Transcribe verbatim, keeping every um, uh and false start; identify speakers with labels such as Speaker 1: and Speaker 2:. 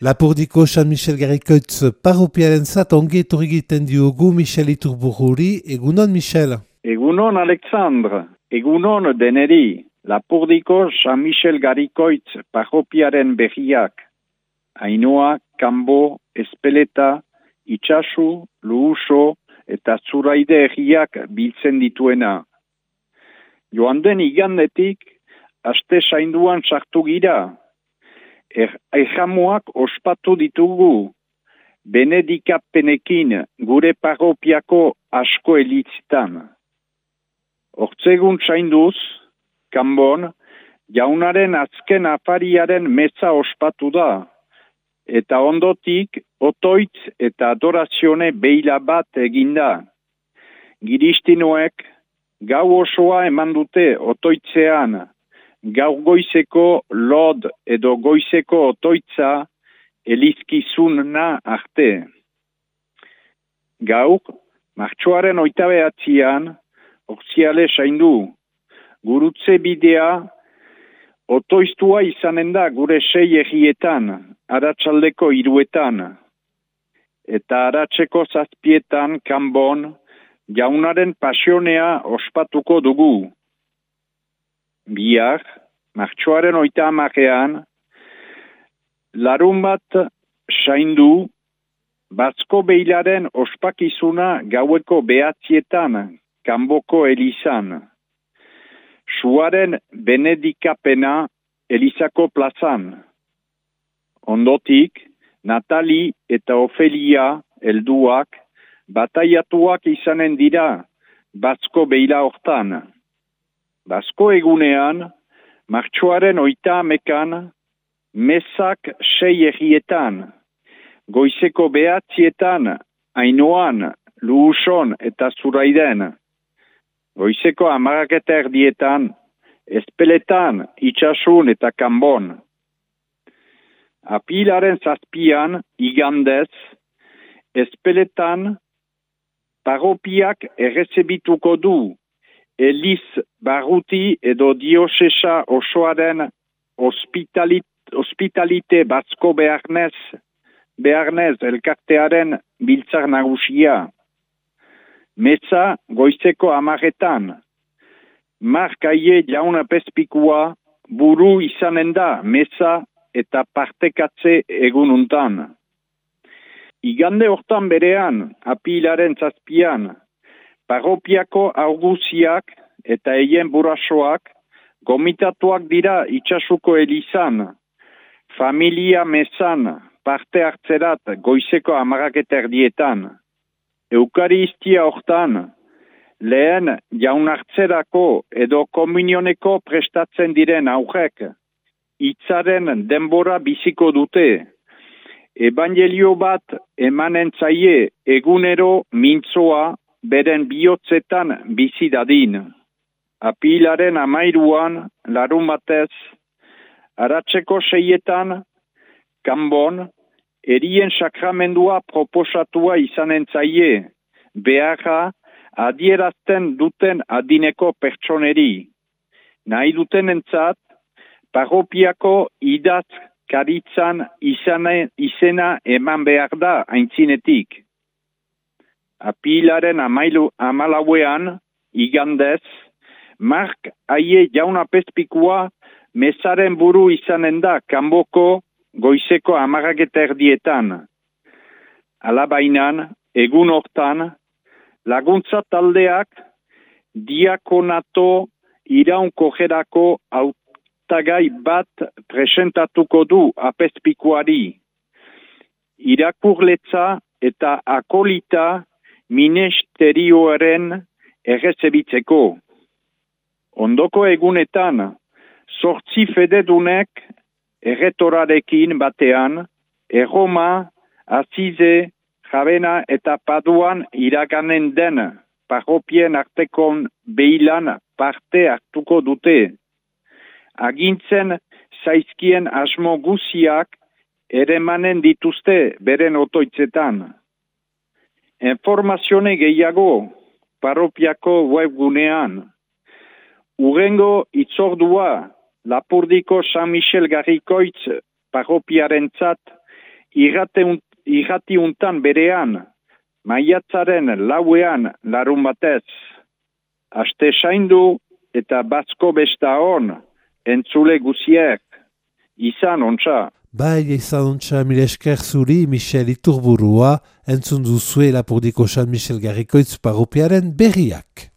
Speaker 1: Lapurdiko San Michel Garrikoitz parropiaren zat ongi etorri egiten diogu Michel Iturbururi. Egunon, Michel?
Speaker 2: Egunon, Alexandre. Egunon, deneri. Lapurdiko San Michel Garrikoitz parropiaren berriak. Ainoa, Kanbo, Espeleta, Itxasu, Luhuso eta Zuraide herriak biltzen dituena. Joan den igandetik, aste sainduan sartu gira. Er, Erramuak ospatu ditugu, benedikapenekin gure parropiako asko elitzitan. Hortzegun sainduz, Kanbon, jaunaren azken afariaren meza ospatu da, eta ondotik otoitz eta adorazione beila bat eginda. Giristinoek gau osoa eman dute otoitzean, gaur goizeko lod edo goizeko otoitza elizkizuna arte. Gaur, martxoaren oita behatzian, orziale saindu, gurutze bidea otoiztua izanen da gure sei egietan, aratsaldeko hiruetan, eta aratseko zazpietan Kanbon jaunaren pasionea ospatuko dugu. Bihar, martxoaren oita hamarean, larun bat saindu, Batzko beilaren ospakizuna gaueko behatzietan Kanboko elizan. Suaren benedikapena elizako plazan. Ondotik, Natali eta Ofelia helduak bataiatuak izanen dira Batzko beila hortan. Batzko egunean, martxoaren oita hamekan, mesak sei egietan, goizeko behatzietan, Ainoan, Luhuson eta Zuraiden, goizeko hamaraketa erdietan, Espeletan, Itxasun eta Kanbon. Apilaren zazpian, igandez, Espeletan, parropiak errezebituko du, Eliz Barruti edo Diosesa osoaren ospitalit, ospitalite Batzko beharnez, beharnez elkartearen biltzar nagusia. Meza goizeko amaretan. Mark Aie jauna pezpikua buru izanen da meza eta partekatze egununtan. Igande hortan berean, apilaren zazpian, parropiako auguziak eta eien burasoak gomitatuak dira Itxasuko elizan, familia mezan parte hartzerat goizeko hamaraketa erdietan. Eukaristia hortan, lehen jaunartzerako edo komunioneko prestatzen diren aurrek, hitzaren denbora biziko dute. Evangelio bat emanen zaie egunero mintzoa beren bihotzetan bizi dadin. Apilaren amairuan, larun batez, aratseko seietan, Kanbon, erien sakramendua proposatua izanen zaie, beharra adierazten duten adineko pertsoneri. Nahi dutenentzat, parropiako idaz karitzan izane, izena eman behar da aintzinetik. Apilaren amailu, amalauean, igandez, Mark Aie jauna pezpikua mezaren buru izanen da Kanboko goizeko hamaraketa erdietan. Alabainan, egun hortan, laguntza taldeak diakonato iraunkojerako hautagai bat presentatuko du apezpikuari. Irakurletza eta akolita ministerioaren errezebitzeko. Ondoko egunetan, zortzi fededunek erretorarekin batean, Erroma, Azize, Javena eta Paduan iraganen den parropien artekon beilan parte hartuko dute. Agintzen zaizkien asmo guziak eremanen dituzte beren otoitzetan. Informazione gehiago parropiako webgunean. Urrengo itzordua Lapurdiko San Michel Garrikoitz parropiarentzat irratiuntan berean, maiatzaren lauean larun batez. Aste saindu eta batzko besta hon, entzule guziek, izan ontsa.
Speaker 1: Bai, izan ontsa mila esker zuri, Michel Iturburua, entzun duzue Lapurdiko San Michel Garrikoitz parropiaren berriak.